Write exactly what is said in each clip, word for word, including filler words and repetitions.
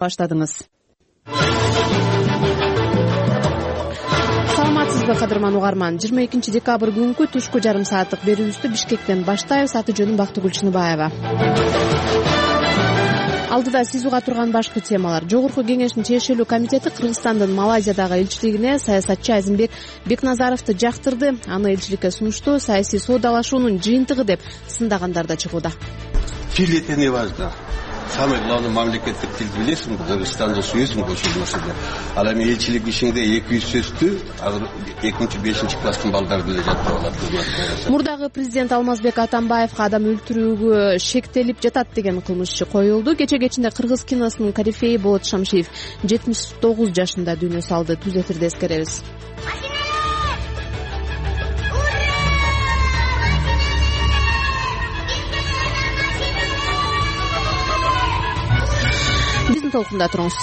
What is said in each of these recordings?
баштадыңыз. Саламатсызбы кадырман угарман. жыйырма экинчи декабрь күнкү түшкү жарым сааттык берүүбүздү Бишкектен баштайбыз. Аты жөнүм Бактыгүл Чыныбаева. Алдыда сиз уга турган башкы темалар. Жогорку кеңештин чечилүү комитети Кыргызстандын Малайзиядагы элчилигине саясатчы Азимбек Бекназаровду жактырды. Аны элчиликке сунушту саясий соодалашуунун жыйынтыгы деп сындагандар да чыгууда. Тил это не важно. Самый главный мамлекеттик тил билесиң, Кыргызстанда сүйөсүң ошол нерседе. Ал эми элчилик ишинде эки жүз сөздү азыр экинчи бешинчи класстын балдары биле жатып алат. Мурдагы президент Алмазбек Атамбаевга адам өлтүрүүгө шектелип жатат деген кылмышчы коюлду. Кече кечинде кыргыз киносунун корифеи Болот Шамшиев жетимиш тогуз жашында дүйнө салды. Түз эфирде эскеребиз. Биздин толкунда туруңуз.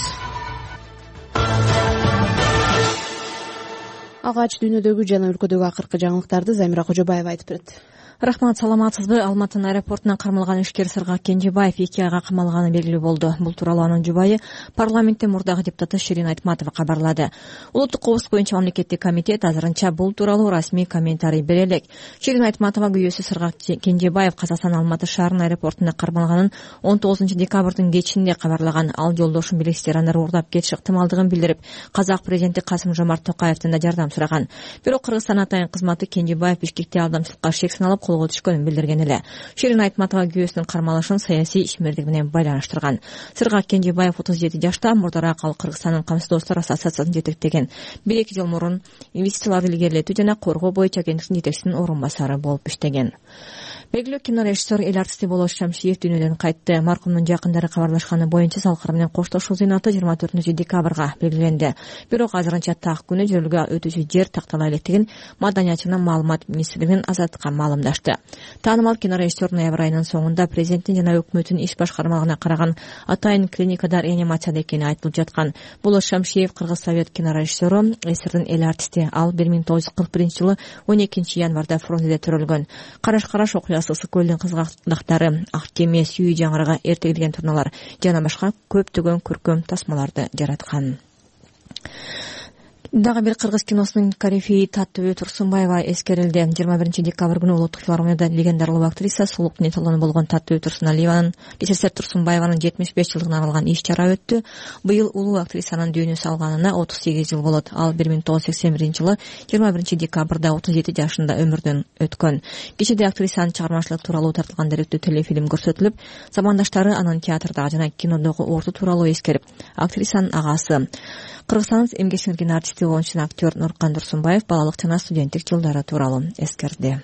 Алгач дүйнөдөгү жана өлкөдөгү акыркы жаңылыктарды Замира Кожобаева айтып берет. Рахмат, саламатсызбы? Алматынын аэропортуна кармалган ишкер Сыргак Кенжебаев эки айга камалганы белгилүү болду. Бул тууралуу анын жубайы парламентте мурдагы депутаты Ширин Айтматова кабарлады. Улуттук кооздук боюнча мамлекеттик комитет азырынча бул тууралуу расмий комментарий бере элек. Ширин Айтматова күйөөсү Сыргак Кенжебаев Казакстан Алматы шаарынын аэропортуна кармалганын он тогузунчу декабрдын кечинде кабарлаган. Ал жолдошун билесиздер аны уурдап кетиш ыктымалдыгын билдирип, казак президенти Касым Жомарт Токаевден да жардам сураган. Бирок Кыргызстан атайын кызматы Кенжебаев Бишкекте алдамчылыкка шек саналып колго түшкөнүн билдирген эле. Ширин Айтматова күйөөсүнүн кармалышын саясий ишмердик менен байланыштырган. Сыргак Кенжебаев отуз жети жашта, мурдараак ал Кыргызстандын Камсыз достор ассоциациясын жетектеген. бир эки жыл мурун инвестицияларды илгерилетүү жана коргоо боюнча агенттиктин жетекчисинин орун басары болуп иштеген. Белгилүү кинорежиссер, эл артисти Болот Шамшиев дүйнөдөн кайтты. Маркумдун жакындары кабарлашканы боюнча салкыр менен коштошуу зыйнаты жыйырма төртүнчү декабрга белгиленди. Бирок азырынча так күнү жөрөлгө өтүүчү жер тактала электигин Маданият жана маалымат министрлигинин Азаттыкка маалымдашты. Таанымал кинорежиссер ноябрь айынын соңунда президенттин жана өкмөттүн иш башкармалыгына караган атайын клиникада реанимацияда экени айтылып жаткан. Болот Шамшиев Кыргыз совет кинорежиссеру, СССРдин эл артисти. Ал бир миң тогуз жүз кырк биринчи жылы он экинчи январда фронтеде төрөлгөн. Караш-караш окуясы, Ысык көлдүн кызгактактары, Ак кеме, Сүйүү жаңырага, Эрте келген турналар жана башка көптөгөн көркөм тасмаларды жараткан. Дагы бир кыргыз киносунун корифеи Таттыбү Турсунбаева эскерилди. жыйырма биринчи декабрь күнү улуттук филармонияда легендаралуу актриса, сулук нетолону болгон Таттыбү Турсуналиеванын СССР Турсунбаеванын жетимиш беш жылдыгына арналган иш-чара өттү. Быйыл улуу актрисанын дүйнө салганына отуз сегиз жыл болот. Ал бир миң тогуз жүз сексен биринчи жылы жыйырма биринчи декабрда отуз жети жашында өмүрдөн өткөн. Кечеде актрисанын чыгармачылык тууралуу тартылган деректүү телефильм көрсөтүлүп, замандаштары анын театрдагы жана кинодогу орду тууралуу эскерип, актрисанын агасы, Кыргызстандын эмгек сиңирген артисти, оюнчу актер Нуркан Турсунбаев балалык жана студенттик жылдары тууралуу эскерди.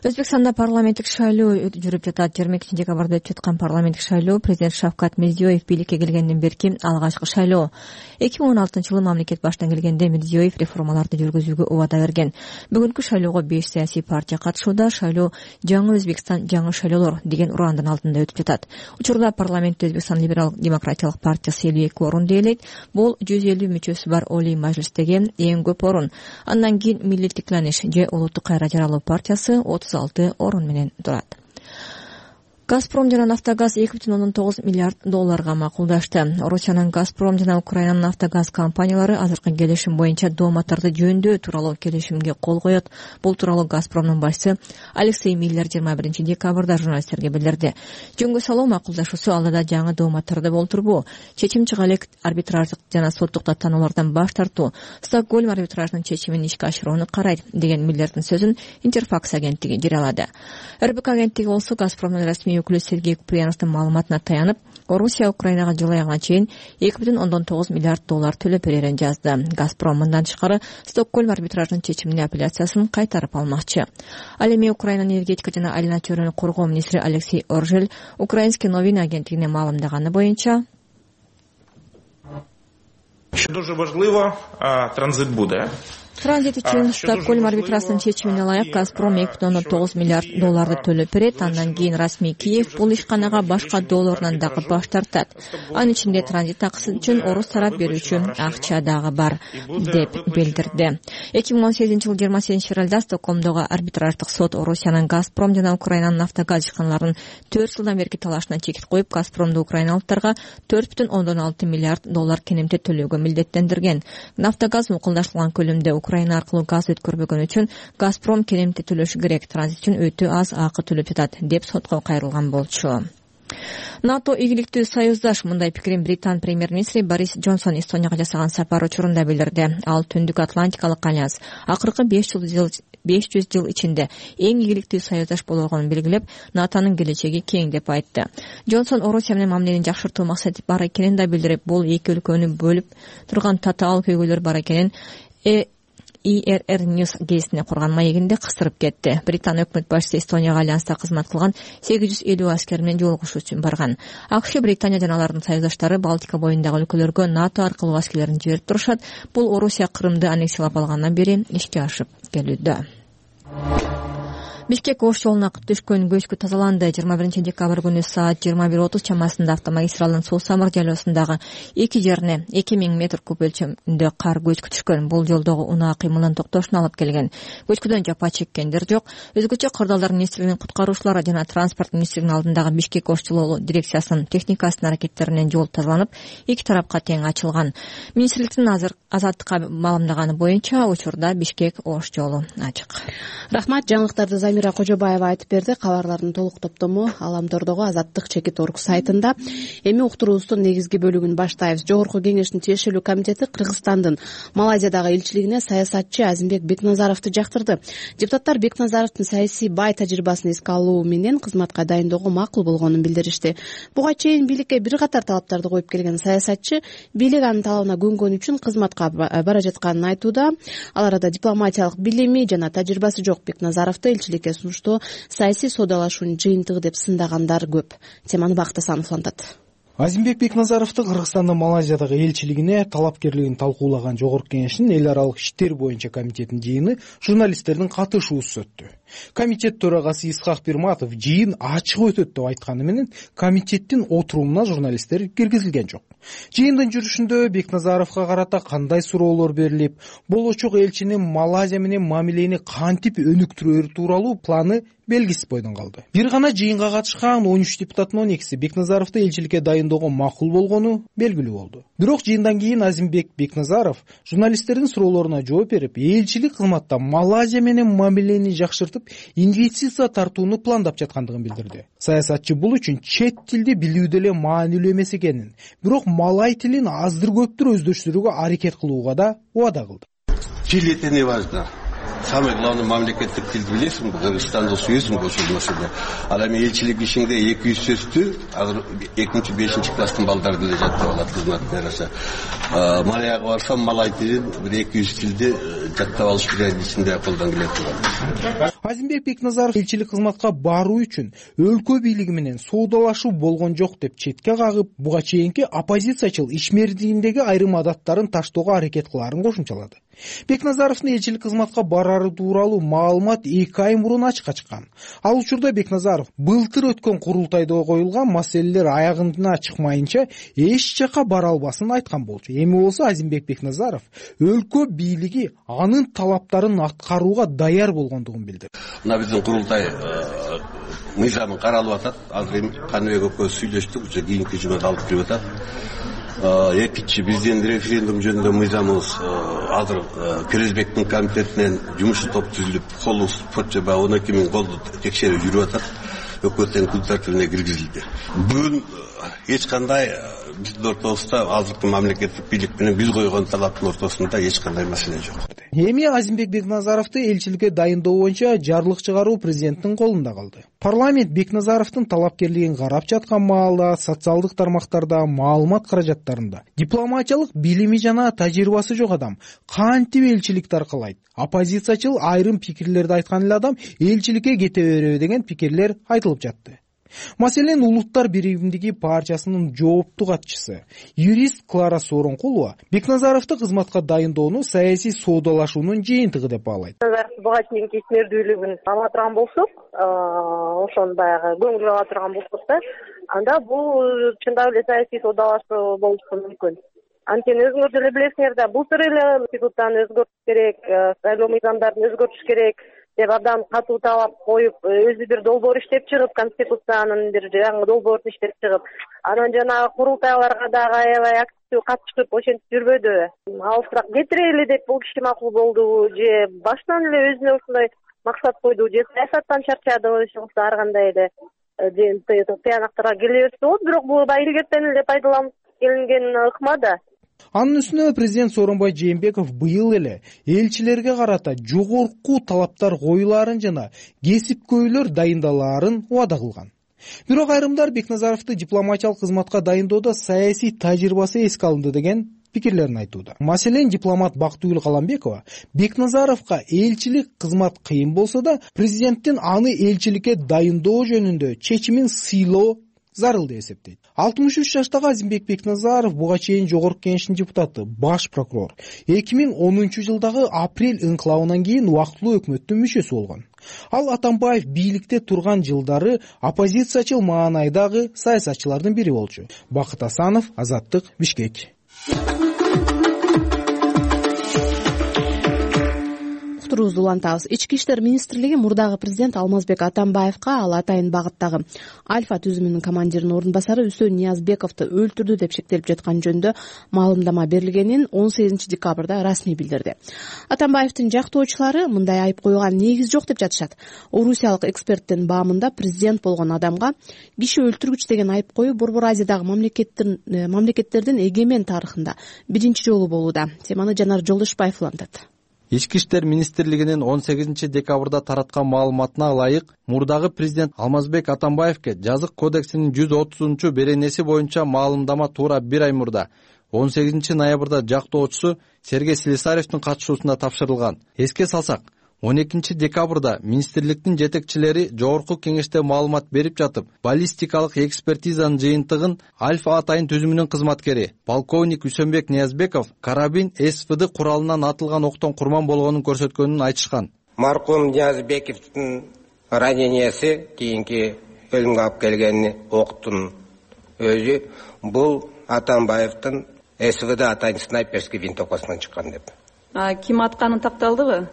Өзбекстанда парламенттик шайлоо жүрүп жатат. жыйырма экинчи декабрда өтүп жаткан парламенттик шайлоо президент Шавкат Мирзиёев бийликке келгенден берки алгачкы шайлоо. эки миң он алтынчы жылы мамлекет баштан келгенде Мирзиёев реформаларды жүргүзүүгө убада берген. Бүгүнкү шайлоого беш саясий партия катышууда. Шайлоо жаңы Өзбекстан, жаңы шайлоолор деген урандын алдында өтүп жатат. Учурда парламентте Өзбекстан либерал демократиялык партиясы элүү эки орунду ээлейт. Бул жүз элүү мүчөсү бар Олий мажлистеги эң көп орун. Андан кийин Милли Тикланиш же улуттук кайра жаралуу партиясы отуз алты орун менен турат. Газпром жана Нафтогаз эки бүтүн ондон тогуз миллиард долларга макулдашты. Орусиянын Газпром жана Украинанын Нафтогаз компаниялары азыркы келишим боюнча дооматтарды жөндөө тууралуу келишимге кол коет. Бул тууралуу Газпромдун башчысы Алексей Миллер жыйырма биринчи декабрда журналисттерге билдирди. Жөнгө салуу макулдашуусу алдыда жаңы дооматтарды болтурбу, чечим чыга элек арбитраждык жана соттук даттанулардан баш тартуу, Стокгольм арбитраждын чечимин ишке ашырууну карайт деген Миллердин сөзүн Интерфакс агенттиги жарыялады. эр бэ ка агенттиги болсо Газпромдун расмий өкүлү Сергей Куприяновдун маалыматына таянып, Орусия Украинага жыл аягына чейин эки бүтүн ондон тогуз миллиард доллар төлөп берерин жазды. Газпром мындан тышкары Стокгольм арбитраждын чечимине апелляциясын кайтарып алмакчы. Ал эми Украинанын энергетика жана айлана чөйрөнү коргоо министри Алексей Оржель Украинский новини агенттигине маалымдаганы боюнча Що дуже важливо, транзит буде. Транзит үчүн Стокгольм арбитраждын чечимине ылайык Газпром эки бүтүн ондон тогуз миллиард долларды төлөп берет. Андан кийин расмий Киев бул ишканага башка долларынан дагы баш тартат. Анын ичинде транзит таксы үчүн орус тарап берүүчү акча дагы бар деп билдирди. эки миң он сегизинчи жылы жыйырма сегизинчи февралда Стокгольмдогу арбитраждык сот Орусиянын Газпром жана Украинанын нафтогаз ишканаларынын төрт жылдан берки талашына чекит коюп, Газпромду украиналыктарга төрт бүтүн ондон алты миллиард доллар кенемте төлөөгө милдеттендирген. Нафтогаз мукулдаштырылган көлөмдө Украина аркылуу газ өткөрбөгөн үчүн Газпром кенемте төлөшү керек. Транзит үчүн өтө аз акы төлөп жатат деп сотко кайрылган болчу. НАТО ийгиликтүү союздаш. Мындай пикирин Британ премьер-министри Борис Джонсон Эстонияга жасаган сапар учурунда билдирди. Ал Түндүк Атлантикалык альянс акыркы беш жүз жыл ичинде эң ийгиликтүү союздаш болгонун белгилеп, НАТОнун келечеги кең деп айтты. Джонсон Орусия менен мамилени жакшыртуу максаты бар экенин да билдирип, бул эки өлкөнү бөлүп турган татаал көйгөйлөр бар экенин И Р Р News гезитине курган маегинде кыстырып кетти. Британ өкмөт башчысы Эстонияга альянста кызмат кылган сегиз жүз элүү аскер менен жолугушуу үчүн барган. АКШ, Британия жана алардын союздаштары Балтика боюндагы өлкөлөргө НАТО аркылуу аскерлерин жиберип турушат. Бул Орусия Крымды аннексиялап алгандан бери ишке ашып келүүдө. Бишкек Ош жолуна түшкөн көчкү тазаланды. жыйырма биринчи декабрь күнү саат жыйырма бир отуз чамасында автомагистралдын Суу Самыр жайлоосундагы эки жерине эки миң метр куб өлчөмүндө кар көчкү түшкөн. Бул жолдогу унаа кыймылдын токтошуна алып келген. Көчкүдөн жапа чеккендер жок. Өзгөчө Кырдаалдар министрлигинин куткаруучулары жана транспорт министрлигинин алдындагы Бишкек Ош жолу дирекциясынын техникасынын аракеттеринен жол тазаланып, эки тарапка тең ачылган. Министрликтин азыр азаттыкка маалымдаганы боюнча учурда Бишкек Ош жолу ачык. Рахмат. Жаңылыктарды Замира Кожобаева айтып берди. Кабарлардын толук топтому Аламтордогу Азаттык чекит орг сайтында. Эми уктуруубуздун негизги бөлүгүн баштайбыз. Жогорку кеңештин тиешелүү комитети Кыргызстандын Малайзиядагы элчилигине саясатчы Азимбек Бекназаровду жактырды. Депутаттар Бекназаровдун саясий бай тажрыйбасын эске алуу менен кызматка дайындоого макул болгонун билдиришти. Буга чейин бийликке бир катар талаптарды коюп келген саясатчы бийлик анын талабына көнгөн үчүн кызматка бара жатканын айтууда. Ал арада дипломатиялык билими жана тажрыйбасы жок Бекназаровду элчиликке сунуштоо саясий соодалашуунун жыйынтыгы деп сындагандар көп. Теманы Бакыт Асанов улантат. Азимбек Бекназаровду Кыргызстандын Малайзиядагы элчилигине талапкерлигин талкуулаган Жогорку кеңештин эл аралык иштер боюнча комитетинин жыйыны журналисттердин катышуусуз өттү. Комитет төрагасы Исхак Пирматов жыйын ачык өтөт деп айтканы менен комитеттин отурумуна журналисттер киргизилген жок. Жыйындын жүрүшүндө Бекназаровго карата кандай суроолор берилип, болочок элчинин Малайзия менен мамилени кантип өнүктүрөөрү тууралуу планы белгисиз бойдон калды. Бир гана жыйынга катышкан он үч депутаттын он экиси Бекназаровду элчиликке дайындоого макул болгону белгилүү болду. Бирок жыйындан кийин Азимбек Бекназаров журналисттердин суроолоруна жооп берип, элчилик кызматта Малайзия менен мамилени жакшыртып, инвестиция тартууну пландап жаткандыгын билдирди. Саясатчы бул үчүн чет тилди билүү деле маанилүү эмес экенин, бирок малай тилин аздыр көптүр өздөштүрүүгө аракет кылууга да убада кылды. Тил это не важно. Самый главный мамлекеттик тилди билесиңби? Кыргызстанды сүйөсүңбү ошол маселе. Ал эми элчилик ишиңде эки жүз сөздү азыр экинчи бешинчи класстын балдары деле жаттап алат кызматтын арасы. Малайга барсам малай тилин бир эки жүз тилди жаттап алыш ичинде колдон келет турат. Азимбек Бекназаров элчилик кызматка баруу үчүн өлкө бийлиги менен соодалашуу болгон жок деп четке кагып, буга чейинки оппозициячыл ишмердигиндеги айрым адаттарын таштоого аракет кылаарын кошумчалады. Бекназаровдун элчилик кызматка барары тууралуу маалымат эки ай мурун ачыкка чыккан. Ал учурда Бекназаров былтыр өткөн курултайда коюлган маселелер аягына чыкмайынча эч жака бара албасын айткан болчу. Эми болсо Азимбек Бекназаров өлкө бийлиги анын талаптарын аткарууга даяр болгондугун билдирди. Мына биздин курултай мыйзамы каралып атат. Азыр Каныбек экөөбүз сүйлөштүк, уже кийинки жумада алып кирип атат. Экинчи биздин референдум жөнүндө мыйзамыбыз азыр Керезбектин комитетинен жумуш топ түзүлүп, колу почоба он эки миң колду текшерүү жүрүп атат. Өкмөттүн күн тартибине киргизилди. Бүгүн эч кандай биздин ортобузда азыркы мамлекеттик бийлик менен биз койгон талаптын ортосунда эч кандай маселе жок. Эми Азимбек Бекназаровду элчиликке дайындоо боюнча жарлык чыгаруу президенттин колунда калды. Парламент Бекназаровдун талапкерлигин карап жаткан маалда социалдык тармактарда, маалымат каражаттарында дипломатиялык билими жана тажрыйбасы жок адам кантип элчиликти аркалайт? Оппозициячыл айрым пикирлерди айткан эле адам элчиликке кете береби деген пикирлер айтылып жатты. Маселен, Улуттар биригимдиги партиясынын жоопту катчысы, юрист Клара Сооронкулова Бекназаровду кызматка дайындоону саясий соодалашуунун жыйынтыгы деп баалайт. Буга чейинки ишмердүүлүгүн ала турган болсок, ошону баягы көңүлгө ала турган болсок да, анда бул чындап эле саясий соодалашуу болушу мүмкүн. Анткени өзүңөр деле билесиңер да, былтыр эле институттан өзгөртүш керек, шайлоо мыйзамдарын өзгөртүш керек деп абдан катуу талап коюп, өзү бир долбоор иштеп чыгып, конституциянын бир жаңы долбоорун иштеп чыгып, анан жанагы курултайларга дагы аябай активдүү катышып ошентип жүрбөдүбү. Алыстыраак кетирели деп бул киши макул болдубу, же баштан эле өзүнө ушундай максат койду, же саясаттан чарчадыбы, иши кылса ар кандай эле тыянактарга келе берсе болот. Бирок бул баягы илгертен эле пайдаланып келинген ыкма да. Анын үстүнө президент Сооронбай Жээнбеков быйыл эле элчилерге карата жогорку талаптар коюлаарын жана кесипкөйлөр дайындалаарын убада кылган. Бирок айрымдар Бекназаровду дипломатиялык кызматка дайындоодо саясий тажрыйбасы эске алынды деген пикирлерин айтууда. Маселен, дипломат Бактыгүл Каламбекова Бекназаровго элчилик кызмат кыйын болсо да, президенттин аны элчиликке дайындоо жөнүндө чечимин сыйлоо зарыл деп эсептейт. алтымыш үч жаштагы Азимбек Бекназаров буга чейин Жогорку Кеңештин депутаты, баш прокурор. эки миң онунчу жылдагы апрель инкылабынан кийин убактылуу өкмөттүн мүчөсү болгон. Ал Атамбаев бийликте турган жылдары оппозициячыл маанайдагы саясатчылардын бири болчу. Бакыт Асанов, Азаттык, Бишкек. Улантабыз. Ички иштер министрлиги мурдагы президент Алмазбек Атамбаевга ал атайын багыттагы Альфа түзүмүнүн командиринин орун басары Үсөн Ниязбековду өлтүрдү деп шектелип жаткан жөнүндө маалымдама берилгенин он сегизинчи декабрда расмий билдирди. Атамбаевдин жактоочулары мындай айып коюлган негиз жок деп жатышат. Орусиялык эксперттин баамында президент болгон адамга киши өлтүргүч деген айып коюу Борбор Азиядагы мамлекеттердин мамлекеттердин эгемен тарыхында биринчи жолу болууда. Теманы Жанар Жолдошбаев улантат. Ички иштер министрлигинин он сегизинчи декабрда тараткан маалыматына ылайык, мурдагы президент Алмазбек Атамбаевге жазык кодексинин жүз отузунчу беренеси боюнча маалымдама туура бир ай мурда он сегизинчи ноябрда жактоочусу Сергей Слесаревдин катышуусунда тапшырылган. Эске салсак, он экинчи декабрда министрликтин жетекчилери Жогорку Кеңеште маалымат берип жатып, баллистикалык экспертизанын жыйынтыгын Альфа атайын түзүмүнүн кызматкери полковник Үсөнбек Ниязбеков карабин СВД куралынан атылган октон курман болгонун көрсөткөнүн айтышкан. Маркум Ниязбековдун раненияси, кийинки өлүмгө алып келген октун өзү бул Атамбаевдин СВД атайын снайперский винтовкасынан чыккан деп. А ким атканы такталдыбы?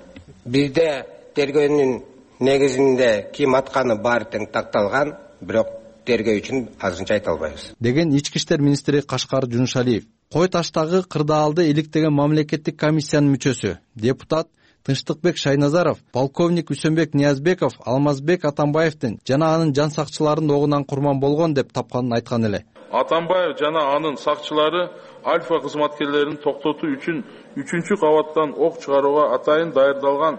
Бизде тергөөнүн негизинде ким атканы баары тең такталган, бирок тергөө үчүн азырынча айта албайбыз. Деген ички иштер министри Кашкар Жунушалиев. Кой таштагы кырдаалды иликтеген мамлекеттик комиссиянын мүчөсү, депутат Тынчтыкбек Шайназаров, полковник Үсөнбек Ниязбеков Алмазбек Атамбаевдин жана анын жан сакчыларынын огунан курман болгон деп тапканын айткан эле. Атамбаев жана анын сакчылары Альфа кызматкерлерин токтотуу үчүн үчүнчү кабаттан ок чыгарууга атайын даярдалган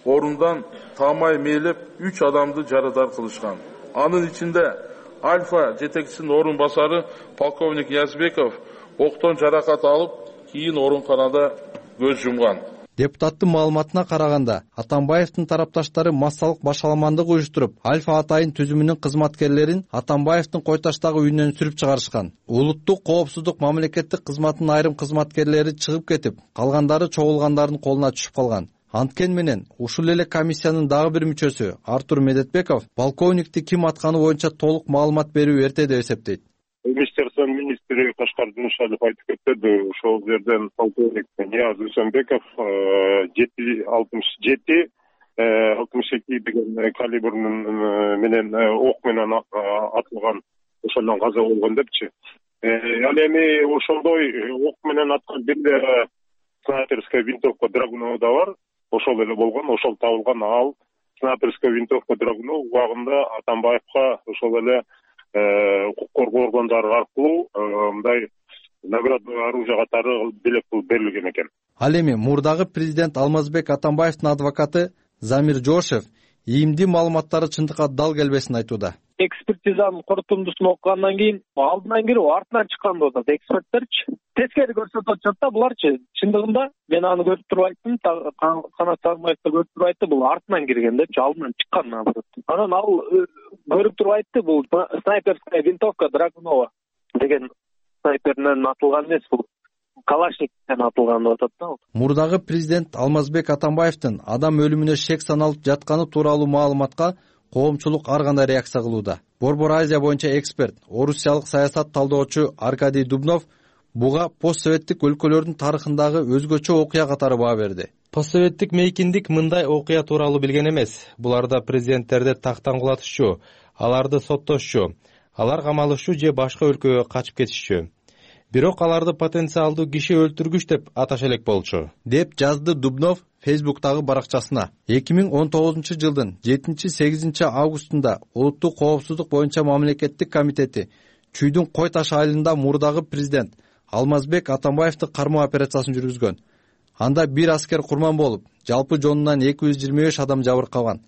орундан таамай мээлеп үч адамды жарадар кылышкан. Анын ичинде Альфа жетекчисинин орун басары полковник Ниязбеков октон жаракат алып, кийин ооруканада көз жумган. Депутаттын маалыматына караганда, Атамбаевдин тарапташтары массалык башаламандык уюштуруп, Альфа атайын түзүмүнүн кызматкерлерин Атамбаевдин кой таштагы үйүнөн сүрүп чыгарышкан. Улуттук коопсуздук мамлекеттик кызматтын айрым кызматкерлери чыгып кетип, калгандары чогулгандардын колуна түшүп калган. Анткени менен ушул эле комиссиянын дагы бир мүчөсү Артур Медетбеков полковникти ким атканы боюнча толук маалымат берүү эрте деп эсептейт. Министерствонун министри Кашкар Жунушалиев айтып кетти, ошол жерден полковник Нияз Үсөнбеков жети алтымыш жети алтымыш эки деген калибрдин менен ок менен атылган, ошондон каза болгон депчи. Ал эми ошондой ок менен аткан бир снайперская винтовка Драгунова да бар, ошол эле болгон, ошол табылган. Ал снайперская винтовка Драгунов убагында Атамбаевга ошол эле укук коргоо органдары аркылуу мындай наградный оружие катары белек кылып берилген экен. Ал эми мурдагы президент Алмазбек Атамбаевдин адвокаты Замир Жошев ийимдүү маалыматтары чындыкка дал келбесин айтууда. Экспертизанын корутундусун окугандан кийин алдынан кирип артынан чыккан деп атат эксперттерчи. Тескери көрсөтүп атышат да буларчы. Чындыгында мен аны көрүп туруп айттым, Канат Сагынбаевди көрүп туруп айтты, бул артынан кирген депчи, алдынан чыккан наоборот. Анан ал көрүп туруп айтты, бул снайперская винтовка Драгунова деген снайперден атылган эмес, бул Калашниковден атылган деп атат да. Мурдагы президент Алмазбек Атамбаевдин адам өлүмүнө шек саналып жатканы тууралуу маалыматка коомчулук ар кандай реакция кылууда. Борбор Азия боюнча эксперт, орусиялык саясат талдоочу Аркадий Дубнов буга постсоветтик өлкөлөрдүн тарыхындагы өзгөчө окуя катары баа берди. Постсоветтик мейкиндик мындай окуя тууралуу билген эмес. Буларда президенттерди тактан кулатышчу, аларды соттошчу, алар камалышчу же башка өлкөгө качып кетишчү. Бирок аларды потенциалдуу киши өлтүргүч деп аташа элек болчу, деп жазды Дубнов Фейсбуктагы баракчасына. эки миң он тогузунчу жылдын жетинчи-сегизинчи августунда Улуттук коопсуздук боюнча мамлекеттик комитети Чүйдүн Кой Таш айылында мурдагы президент Алмазбек Атамбаевди кармоо операциясын жүргүзгөн. Анда бир аскер курман болуп, жалпы жонунан эки жүз жыйырма беш адам жабыркаган.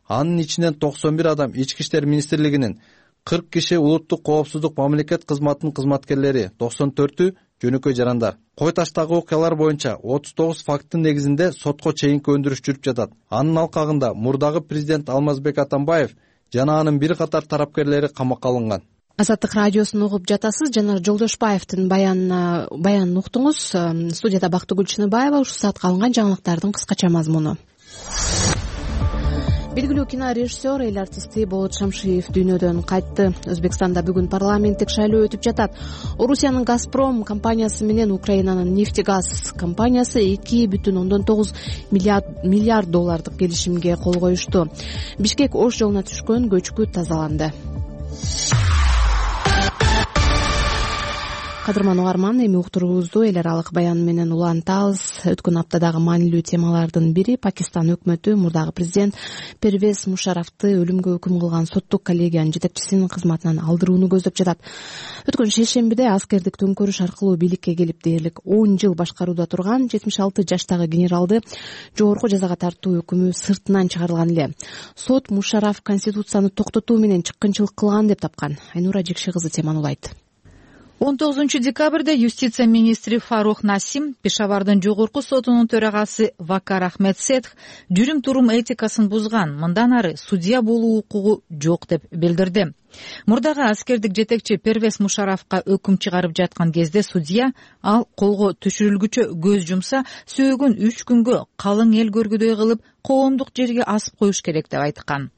Анын ичинен токсон бир адам Ички иштер министрлигинин, кырк киши Улуттук коопсуздук мамлекет кызматынын кызматкерлери, токсон төртү жөнөкөй жарандар. Кой Таштагы окуялар боюнча отуз тогуз факттын негизинде сотко чейинки өндүрүш жүрүп жатат. Анын алкагында мурдагы президент Алмазбек Атамбаев жана анын бир катар тарапкерлери камакка алынган. Азаттык радиосун угуп жатасыз. Жанар Жолдошбаевдин баянына баянын уктуңуз. Студияда Бактыгүл Чыныбаева. Ушул саатка алынган жаңылыктардын кыскача мазмуну. Белгилүү кинорежиссер, эл артисти Болот Шамшиев дүйнөдөн кайтты. Өзбекстанда бүгүн парламенттик шайлоо өтүп жатат. Орусиянын Газпром компаниясы менен Украинанын Нефтегаз компаниясы эки бүтүн ондон тогуз миллиард доллардык келишимге кол коюшту. Бишкек Ош жолуна түшкөн көчкү тазаланды. Кадырман угарман, эми уктуруубузду эл аралык баян менен улантабыз. Өткөн аптадагы маанилүү темалардын бири Пакистан өкмөтү мурдагы президент Первез Мушарафты өлүмгө өкүм кылган соттук коллегиянын жетекчисинин кызматынан алдырууну көздөп жатат. Өткөн шейшембиде аскердик төңкөрүш аркылуу бийликке келип дээрлик он жыл башкарууда турган жетимиш алты жаштагы генералды жогорку жазага тартуу өкүмү сыртынан чыгарылган эле. Сот Мушараф конституцияны токтотуу менен чыккынчылык кылган деп тапкан. Айнура Жекши кызы теманы улайт. он тогузунчу декабрда юстиция министри Фарух Насим Пешавардын жогорку сотунун төрагасы Вакар Ахмед Сетх жүрүм турум этикасын бузган, мындан ары судья болуу укугу жок деп билдирди. Мурдагы аскердик жетекчи Первез Мушарафка өкүм чыгарып жаткан кезде судья ал колго түшүрүлгүчө көз жумса сөөгүн үч күнгө калың эл көргүдөй кылып коомдук жерге асып коюш керек деп айткан.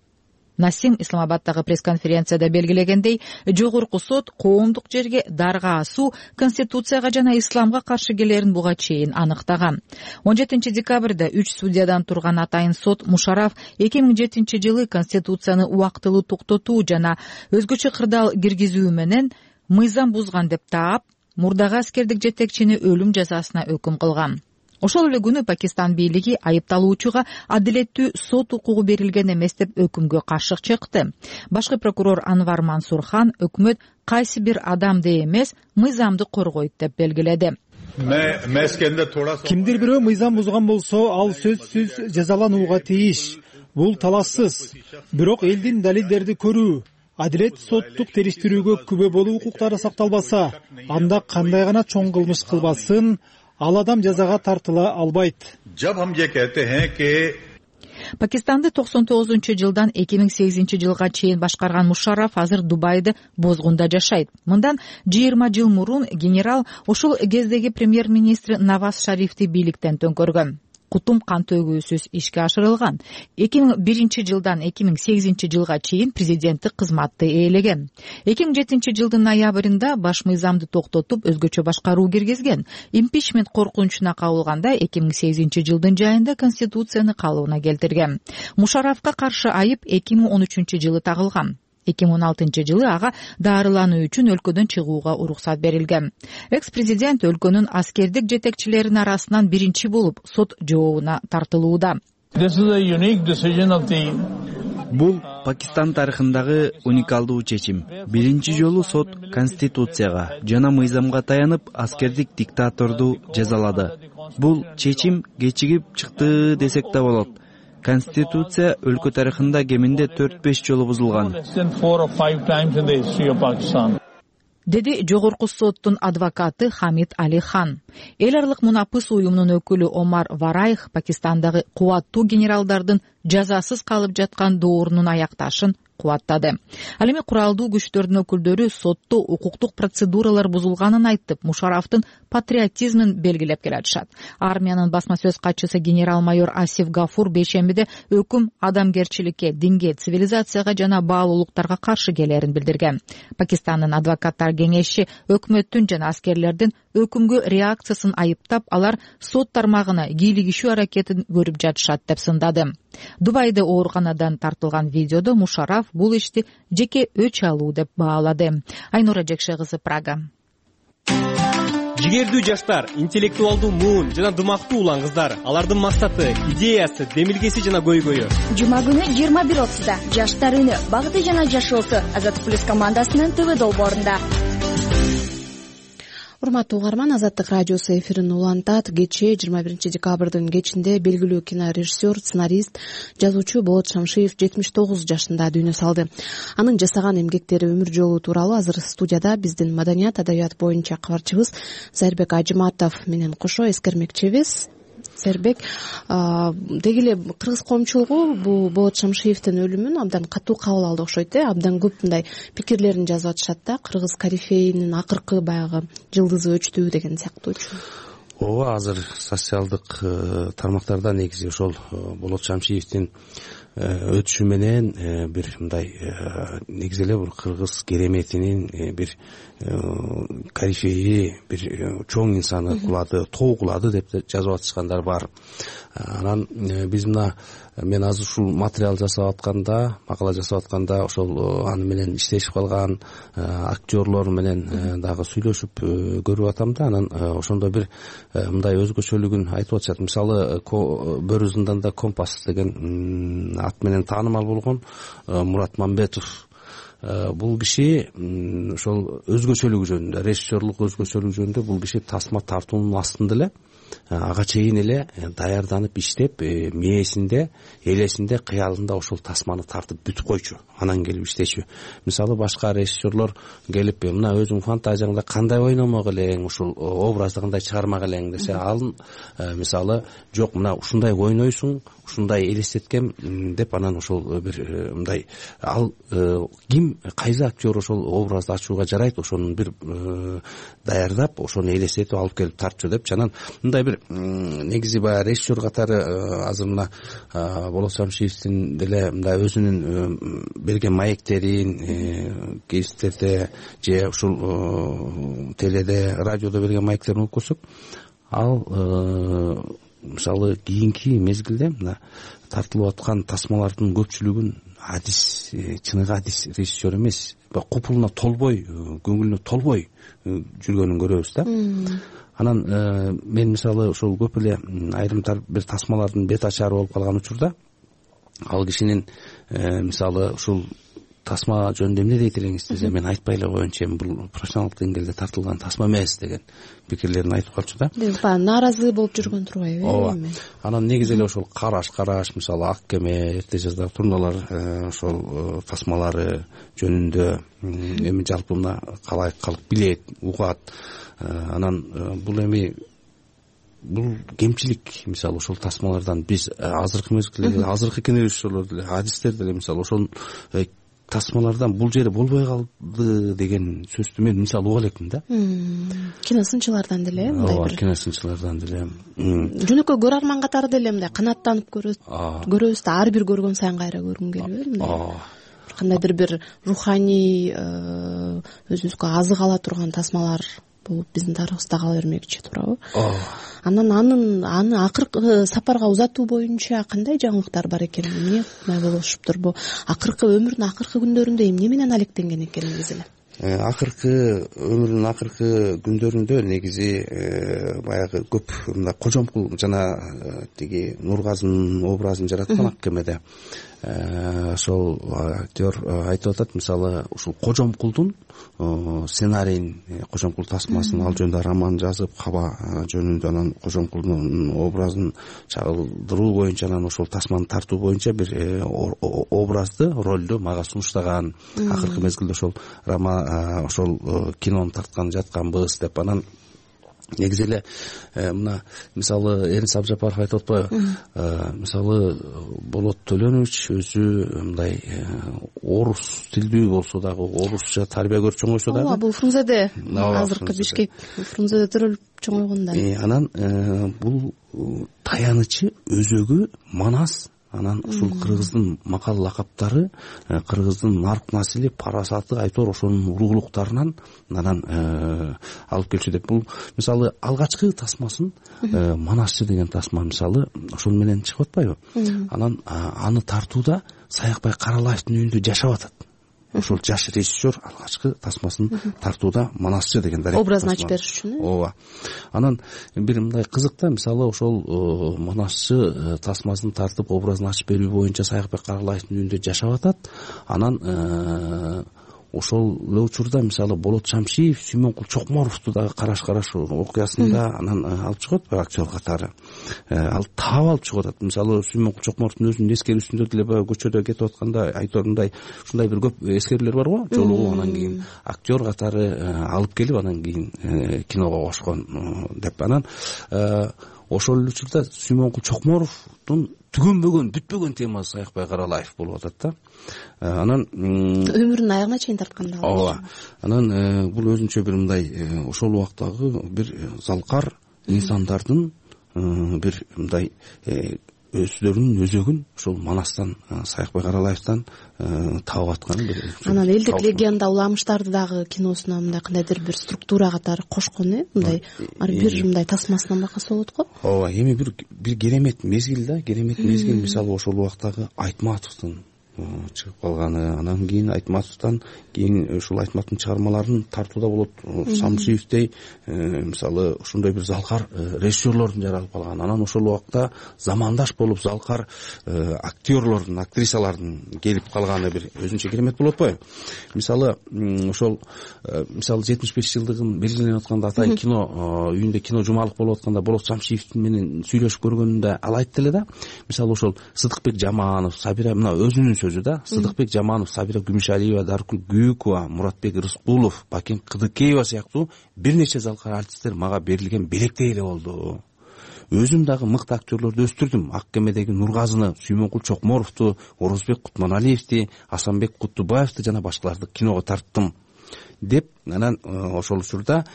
Насим Исламабадтагы пресс-конференцияда белгилегендей, жогорку сот коомдук жерге дарга асуу Конституцияга жана исламга каршы келерин буга чейин аныктаган. он жетинчи декабрда үч судьядан турган атайын сот Мушараф эки миң жетинчи жылы Конституцияны убактылуу токтотуу жана өзгөчө кырдаал киргизүү менен мыйзам бузган деп таап, мурдагы аскердик жетекчини өлүм жазасына өкүм кылган. Ошол эле күнү Пакистан бийлиги айыпталуучуга адилеттүү сот укугу берилген эмес деп өкүмгө каршы чыкты. Башкы прокурор Анвар Мансурхан өкмөт кайсы бир адамды эмес, мыйзамды коргойт деп белгиледи. Кимдир бирөө мыйзам бузган болсо, ал сөзсүз жазаланууга тийиш. Бул талашсыз. Бирок элдин далилдерди көрүү, адилет соттук териштирүүгө күбө болуу укуктары сакталбаса, анда кандай гана чоң кылмыш кылбасын, ал адам жазага тартыла албайт. Пакистанды токсон тогузунчу жылдан эки миң сегизинчи жылга чейин башкарган Мушараф азыр Дубайда Бозгунда жашайт. Мындан жыйырма жыл мурун генерал ошол кездеги премьер-министр Наваз Шарифти бийликтен төңкөргөн. Кутум кан төгүүсүз ишке ашырылган. эки миң биринчи жылдан эки миң сегизинчи жылга чейин президенттик кызматты ээлеген. эки миң жетинчи жылдын ноябрында баш мыйзамды токтотуп, өзгөчө башкаруу киргизген. Импичмент коркунучуна кабылганда эки миң сегизинчи жылдын жайында Конституцияны калыбына келтирген. Мушарафка каршы айып эки миң он үчүнчү жылы тагылган. эки миң он алтынчы жылы ага дарылануу үчүн өлкөдөн чыгууга уруксат берилген. Экс-президент өлкөнүн аскердик жетекчилеринин арасынан биринчи болуп сот жообуна тартылууда. Бул Пакистан тарыхындагы уникалдуу чечим. Биринчи жолу сот Конституцияга жана мыйзамга таянып аскердик диктаторду жазалады. Бул чечим кечигип чыкты десек да болот. Конституция өлкө тарыхында кеминде төрт беш жолу бузулган, деди жогорку соттун адвокаты Хамид Али хан. Эл аралык мунапыс уюмунун өкүлү Омар Вараих Пакистандагы кубаттуу генералдардын жазасыз калып жаткан доорунун аякташын кубаттады. Ал эми куралдуу күчтөрдүн өкүлдөрү сотто укуктук процедуралар бузулганын айтып, Мушарафтын патриотизмин белгилеп келатышат. Армиянын басма сөз катчысы генерал-майор Асиф Гафур бейшембиде өкүм адамгерчиликке, динге, цивилизацияга жана баалуулуктарга каршы келерин билдирген. Пакистандын адвокаттар кеңеши өкмөттүн жана аскерлердин өкүмгө реакциясын айыптап, алар сот тармагына кийлигишүү аракетин көрүп жатышат деп сындады. Дубайда ооруканадан тартылган видеодо Мушараф бул ишти жеке өч алуу деп баалады. Айнура Жекше кызы, Прага. Жигердүү жаштар, интеллектуалдуу муун жана дымактуу улан кыздар. Алардын максаты, идеясы, демилгеси жана көйгөйү. Жума күнү жыйырма бир отузда Жаштар үнү, багыты жана жашоосу Азаттык плюс командасынын ТВ долбоорунда. Урматтуу угарман, Азаттык радиосу эфирин улантат. Кечээ жыйырма биринчи декабрдын кечинде белгилүү кинорежиссер, сценарист, жазуучу Болот Шамшиев жетимиш тогуз жашында дүйнө салды. Анын жасаган эмгектери, өмүр жолу тууралуу азыр студияда биздин маданият, адабият боюнча кабарчыбыз Зайырбек Ажыматов менен кошо эскермекчибиз. Зайырбек, деги эле кыргыз коомчулугу бул Болот Шамшиевдин өлүмүн абдан катуу кабыл алды окшойт э. Абдан көп мындай пикирлерин жазып атышат да. Кыргыз корифейинин акыркы баягы жылдызы өчтү деген сыяктуучу. Ооба, азыр социалдык тармактарда негизи ошол Болот Шамшиевдин өтүшү менен бир мындай негизи эле бир кыргыз кереметинин бир корифеи, бир чоң инсаны кулады, тоо кулады деп жазып атышкандар бар. Анан биз мына мен азыр ушул материал жасап атканда, макала жасап атканда ошол аны менен иштешип калган актерлор менен дагы сүйлөшүп көрүп атам да. Анан ошондо бир мындай өзгөчөлүгүн айтып атышат. Мисалы, Бөрү зынданда Компас деген ат менен таанымал болгон Мурат Мамбетов. Бул киши ошол өзгөчөлүгү жөнүндө, режиссерлук өзгөчөлүгү жөнүндө бул киши тасма тартуунун астында эле ага чейин эле даярданып иштеп, мээсинде, элесинде, кыялында ошол тасманы тартып бүтүп койчу, анан келип иштечү. Мисалы, башка режиссерлор келип, мына өзүң фантазияңда кандай ойномок элең, ушул образды кандай чыгармак элең десе, ал мисалы, жок, мына ушундай ойнойсуң, ушундай элестеткем деп, анан ошол бир мындай ал ким, кайсы актер ошол образды ачууга жарайт, ошонун бир даярдап, ошону элестетип алып келип тартчу деп, анан мындай бир негизи баягы режиссер катары азыр мына Болот Шамшиевдин деле мындай өзүнүн берген маектерин гезиттерде же ушул теледе, радиодо берген маектерин угуп көрсөк, ал мисалы кийинки мезгилде мына тартылып аткан тасмалардын көпчүлүгүн адис, чыныгы адис режиссер эмес, купулуна толбой, көңүлүнө толбой жүргөнүн көрөбүз да. Анан мен мисалы ошол көп эле айрымтар бир тасмалардын бет ачары болуп калган учурда ал кишинин мисалы ушул тасма жөнүндө эмне дейт элеңиз десе, мен айтпай эле коеюнчу, эми бул профессионалдык деңгээлде тартылган тасма эмес деген пикирлерин айтып калчу да. Баягы нааразы болуп жүргөн турбайбы? Ооба. Анан негизи эле ошол караш караш, мисалы Ак кеме, эрте жаздагы турналар, ошол тасмалары жөнүндө эми жалпы мына калай калк билет, угат. Анан бул эми бул кемчилик. Мисалы ошол тасмалардан биз азыркы мезгилде, азыркы кинорежиссерлор деле, адистер деле мисалы ошол тасмалардан бул жери болбой калды деген сөздү мен мисалы уга элекмин да. Киносынчылардан деле мындай бир. Ооба, киносынчылардан деле. Жөнөкөй көрөрман катары деле мындай канааттанып көрөбүз. Көрөбүз да, ар бир көргөн сайын кайра көргүм келип мындай. Кандайдыр бир руханий өзүбүзгө азык ала турган тасмалар болуп биздин тарыхыбызда кала бермекчи, туурабы? Анан анын аны акыркы сапарга узатуу боюнча кандай жаңылыктар бар экен, эмне кылмай болушуптур? Бул акыркы өмүрүнүн акыркы күндөрүндө эмне менен алектенген экен негизи эле? Акыркы өмүрүнүн акыркы күндөрүндө негизи баягы көп мындай кожомкул жана тиги Нургазынын образын жараткан Ак кемеде. ошол актер айтып атат, мисалы ушул Кожомкулдун сценарийин, Кожомкул тасмасын ал жөнүндө роман жазып, Каба жөнүндө анан Кожомкулдун образын чагылдыруу боюнча, анан ошол тасманы тартуу боюнча бир образды, ролду мага сунуштаган. Акыркы мезгилде ошол роман, ошол кинону тарткан жатканбыз деп. Анан негизи эле мына мисалы Эрнис Абжапаров айтып атпайбы, мисалы Болот Төлөнович өзү мындай орус тилдүү болсо дагы, орусча тарбия көрүп чоңойсо дагы. Ооба, бул Фрунзеде, азыркы Бишкек Фрунзеде төрөлүп чоңойгон да. Анан бул таянычы өзөгү Манас. Анан ушул кыргыздын макал лакаптары, кыргыздын нарк насили, парасаты, айтор ошонун ургулуктарынан анан алып келчү деп. Бул мисалы алгачкы тасмасын, Манасчы деген тасма мисалы ошол менен чыгып атпайбы? Анан аны тартууда Саякбай Каралаевдин үйүндө жашап атат. Ошол жаш режиссер алгачкы тасмасын тартууда Манасчы деген образын ачып бериш үчүн. Ооба. Анан бир мындай кызык да, мисалы ошол Манасчы тасмасын тартып образын ачып берүү боюнча Саякбек Каралаевдин үйүндө жашап атат. Анан ошол эле учурда мисалы Болот Шамшиев Сүймөнкул Чокморовду дагы караш караш окуясында анан алып чыгат бир актер катары. Ал таап алып чыгып атат. Мисалы Сүймөнкул Чокморовдун өзүнүн эскерүүсүндө деле баягы көчөдө кетип атканда айторундай ушундай бир көп эскерүүлөр бар го, жолугуу анан кийин актер катары алып келип анан кийин киного кошкон деп. Анан ошол эле учурда Сүймөнкул Чокморовдун түгөнбөгөн, бүтпөгөн темасы Саякбай Каралаев болуп атат да. Анан өмүрүнүн аягына чейин тарткан да. Ооба. Анан бул өзүнчө бир мындай ошол убактагы бир залкар инсандардын бир мындай өздөрүнүн өзөгүн ошол Манастан, Саякбай Каралаевден таап аткан бир. Анан элдик легенда уламыштарды дагы киносуна мындай кандайдыр бир структура катары кошкон, э, мындай бир мындай тасмасынан бакаса болот го. Ооба, эми бир бир керемет мезгил да, керемет мезгил. Мисалы ошол убактагы Айтматовдун чыгып калганы, анан кийин Айтматовдон кийин ушул Айтматовдун чыгармаларын тартууда болот. Шамшиевдей мисалы ошондой бир залкар режиссерлордун жаралып калган. Анан ошол убакта замандаш болуп залкар актерлордун, актрисалардын келип калганы бир өзүнчө керемет болуп атпайбы? Мисалы ошол мисалы жетимиш беш жылдыгын белгиленип атканда атайын кино үйүндө кино жумалык болуп атканда Болот Шамшиев менен сүйлөшүп көргөнүндө ал айтты эле да. Мисалы ошол Сыдыкбек Жаманов, Сабира мына өзүнүн сөзү да, Сыдыкбек Жаманов, Сабира Күмүшалиева, Даркүл Гүйүкова, Муратбек Рыскулов, Бакен Кыдыкеева сыяктуу бир нече залкар артисттер мага берилген белектей эле болду. Өзүм дагы мыкты актерлорду өстүрдүм. Ак кемедеги Нургазыны, Сүймөнкул Чокморовду, Орозбек Кутманалиевди, Асанбек Кутубаевди жана башкаларды киного тарттым деп. Анан ошол учурда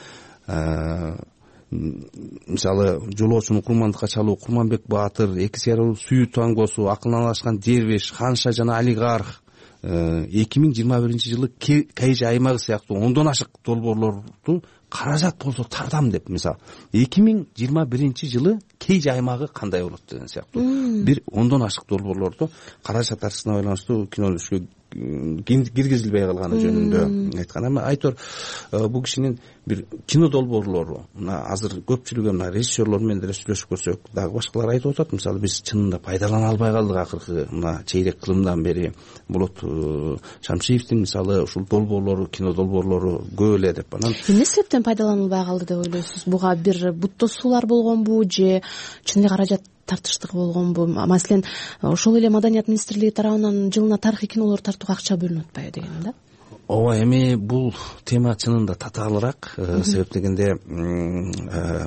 мисалы жолоочуну курмандыкка чалуу Курманбек Баатыр, эки сыяруу сүйүү тангосу, акылналашкан дервиш, ханша жана олигарх, эки миң жыйырма биринчи жылы Кайжы аймагы сыяктуу ондон ашык долбоорлорду каражат болсо тартам деп. Мисалы эки миң жыйырма биринчи жылы Кайжы аймагы кандай болот деген сыяктуу бир ондон ашык долбоорлорду каражат тартышына байланыштуу кинолошко киргизилбей калганы жөнүндө айткан. Эми айтор бул кишинин бир кино долбоорлору мына азыр көпчүлүгү мына режиссерлор менен деле сүйлөшүп көрсөк дагы башкалар айтып атат. Мисалы биз чынында пайдалана албай калдык акыркы мына чейрек кылымдан бери. Болот Шамшиевдин мисалы ушул долбоорлору, кино долбоорлору көп эле деп. Анан эмне себептен пайдаланылбай калды деп ойлойсуз? Буга бир буттосуулар болгонбу же чын эле каражат тартыштыгы болгонбу? Маселен, ошол эле Маданият министрлиги тарабынан жылына тарыхый кинолор тартууга акча бөлүнүп атпайбы деген да? Ооба, эми бул тема чынында татаалыраак. Себеп дегенде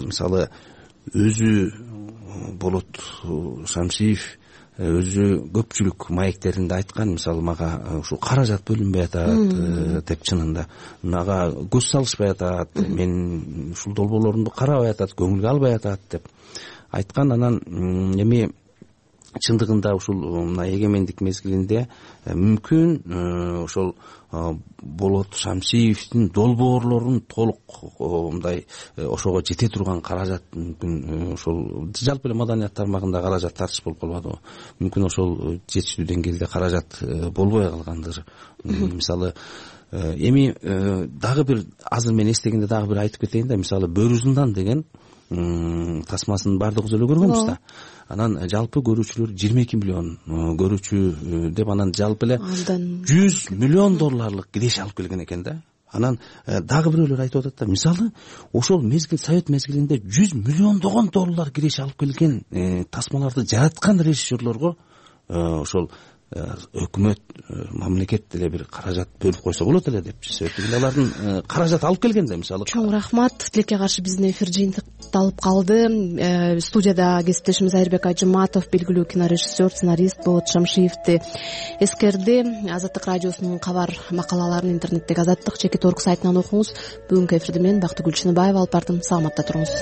мисалы өзү Болот Шамшиев өзү көпчүлүк маектеринде айткан. Мисалы мага ушул каражат бөлүнбөй атат деп, чынында мага көз салышпай атат, мен ушул долбоорлорумду карабай атат, көңүлгө албай атат деп айткан. Анан эми чындыгында ушул мына эгемендик мезгилинде мүмкүн ошол Болот Шамшиевдин долбоорлорун толук мындай ошого жете турган каражат мүмкүн ошол жалпы эле маданият тармагында каражат тартыш болуп калбадыбы? Мүмкүн ошол жетиштүү деңгээлде каражат болбой калгандыр. Мисалы эми дагы бир азыр мен эстегенде дагы бир айтып кетейин да. Мисалы Бөрү Зындан деген тасмасын баардыгыбыз эле көргөнбүз да. Анан жалпы көрүүчүлөр жыйырма эки миллион көрүүчү деп, анан жалпы эле жүз миллион долларлык киреше алып келген экен да. Анан дагы бирөөлөр айтып атат да, мисалы ошол мезгил, совет мезгилинде жүз миллиондогон доллар киреше алып келген тасмаларды жараткан режиссерлорго ошол өкмөт, мамлекет деле бир каражат бөлүп койсо болот эле депчи. Себеби алардын каражат алып келген да, мисалы. Чоң рахмат. Тилекке каршы биздин эфир жыйынтыкталып калды. Студияда кесиптешimiz Айырбек Ажыматов белгилүү кинорежиссер, сценарист Болот Шамшиевди эскерди. Азаттык радиосунун кабар макалаларын интернеттеги Азаттык чекит точка орг сайтынан окуңуз. Бүгүнкү эфирди мен Бактыгүл Чыныбаева алып бардым. Саламатта туруңуз.